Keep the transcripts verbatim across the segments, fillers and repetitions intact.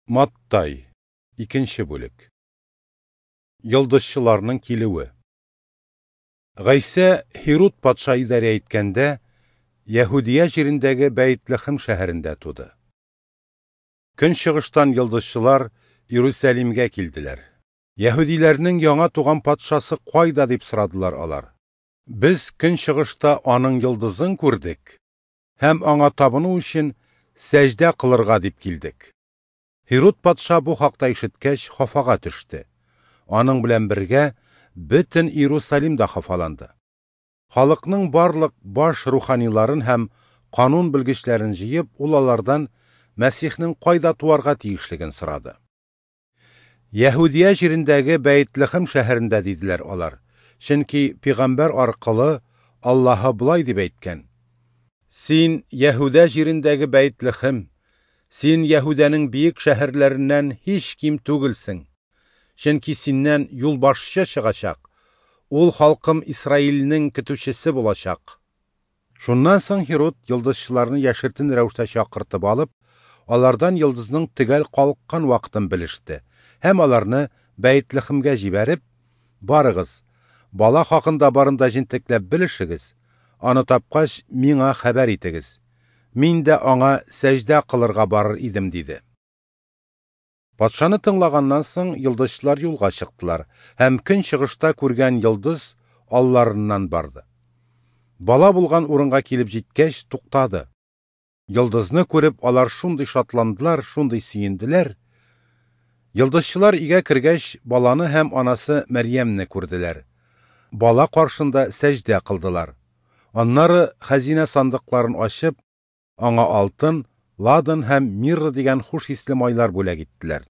Маттай, икенче бүлек. Йолдызчыларның килүе. Гайсә Һируд патша идарә иткәндә, Яһүдия җирендәге Бәйтлехем шәһәрендә туды. Көнчыгыштан йолдызчылар Иерусалимгә килделәр. Яһүдиләрнең яңа туган патшасы кайда дип сорадылар алар. Без көнчыгышта аның йолдызын күрдек һәм аңа табыну өчен сәҗдә кылырга дип килдек. Һируд патша бу хакта ишеткәч, хафага төште. Аның белән бергә бөтен Иерусалим да хафаланды. Халыкның барлык баш руханиларын һәм канун белгечләрен җыеп, ул алардан Мәсихнең кайда туарга тиешлеген сорады. Яһүдия җирендәге Бәйтлехем шәһәрендә диделәр алар. Чөнки пәйгамбәр аркылы Аллаһы болай дип әйткән: Син Яһүдә җирендәге Бәйтлехем, син Яһүдәнең биек шәһәрләреннән һич ким түгелсең. Чөнки синнән юлбашчы чыгачак. Ул халкым Исраилнең көтүчесе булачак. Шуннан соң Һируд йолдызчыларны яшертен рәвештә чакыртып алып, алардан йолдызның төгәл калыккан вакытын белеште һәм аларны Бәйтлехемгә җибәреп: "Барыгыз, бала хакында барын да җентекләп белешегез, аны тапкач миңа хәбәр итегез. Мин дә аңа сәҗдә кылырга барыр идем", диде. Патшаны тыңлаганнан соң йолдызчылар юлга чыктылар һәм көнчыгышта күргән йолдыз алларыннан барды. Бала булган урынга килеп җиткәч, туктады. Йолдызны күреп, алар шундый шатландылар, шундый сөенделәр. Йолдызчылар өйгә кергәч, баланы һәм анасы Мәрьямне күрделәр. Бала каршында сәҗдә кылдылар. Аннары хәзинә сандыкларын ачып, аңа алтын, ладан һәм мирра дигән хуш исле майлар бүләк иттеләр.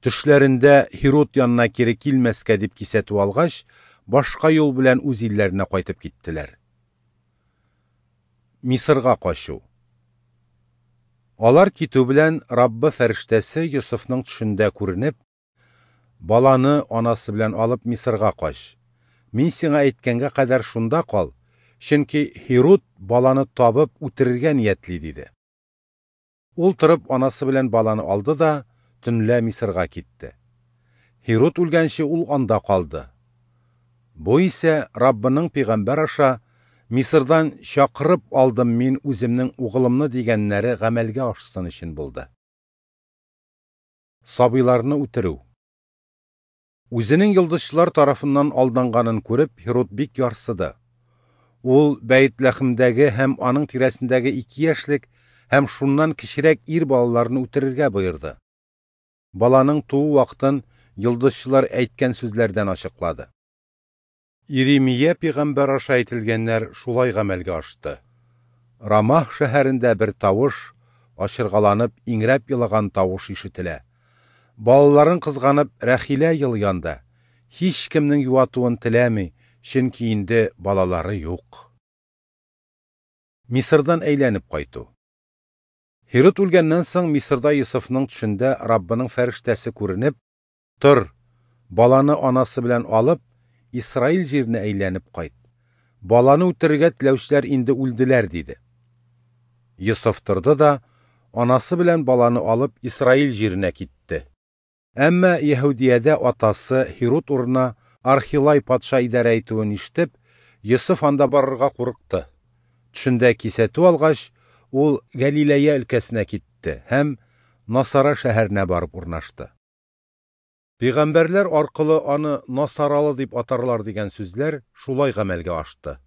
Төшләрендә Һируд янына кире килмәскә дип кисәтү алгач, башка юл белән үз илләренә кайтып киттеләр. Мисырга качу. Алар китү белән Раббы фәрештәсе Йосыфның төшендә күренеп: "Баланы анасы белән алып Мисырга кач. Мин сиңа әйткәнгә кадәр шунда кал, чөнки Һируд баланы табып үтерергә ниятли", диде. Ул торып анасы белән баланы алды да төнлә Мисырга китте. Һируд үлгәнче ул анда калды. Бу исә Раббының пәйгамбәр аша "Мисырдан чакырып алдым мин үземнең угылымны" дигәннәре гамәлгә ашсын өчен булды. Сабыйларны үтерү. Үзенең йолдызчылар тарафыннан алданганын күреп, Һируд бик ярсыды. Ул Бәйтлехемдәге һәм аның тирәсендәге ике яшьлек һәм шуннан кечерәк ир балаларны үтерергә боерды. Баланың туу вакытын йолдызчылар әйткән сүзләрдән ачыклады. Иремия пәйгамбәр аша әйтелгәннәр шулай гамәлгә ашты. Рамах шәһәрендә бер тавыш, ачыргаланып, иңрәп елаган тавыш ишетелә. Балаларын кызганып, Рәхилә елганда, һич кемнең юатуын теләми, чөнки инде балалары юк. Мисырдан әйләнеп кайту. Һируд үлгәннән соң Мисырда Йосыфның төшендә Раббының фәрештәсе күренеп: "Тор, баланы анасы белән алып, Исраил җиренә әйләнеп кайт. Баланы үтерергә теләүчеләр инде үлделәр", диде. Йосыф торды да анасы белән баланы алып Исраил җиренә китте. Әмма Яһүдиядә атасы Һируд урынына Архилай патша идарә итүен ишетеп, Йосыф анда барырга курыкты. Төшендә кисәтү алгач, ул Галилея өлкәсенә китте һәм Насара шәһәренә барып урнашты. Пәйгамбәрләр аркылы аны Насаралы дип атарлар дигән сүзләр шулай гамәлгә ашты.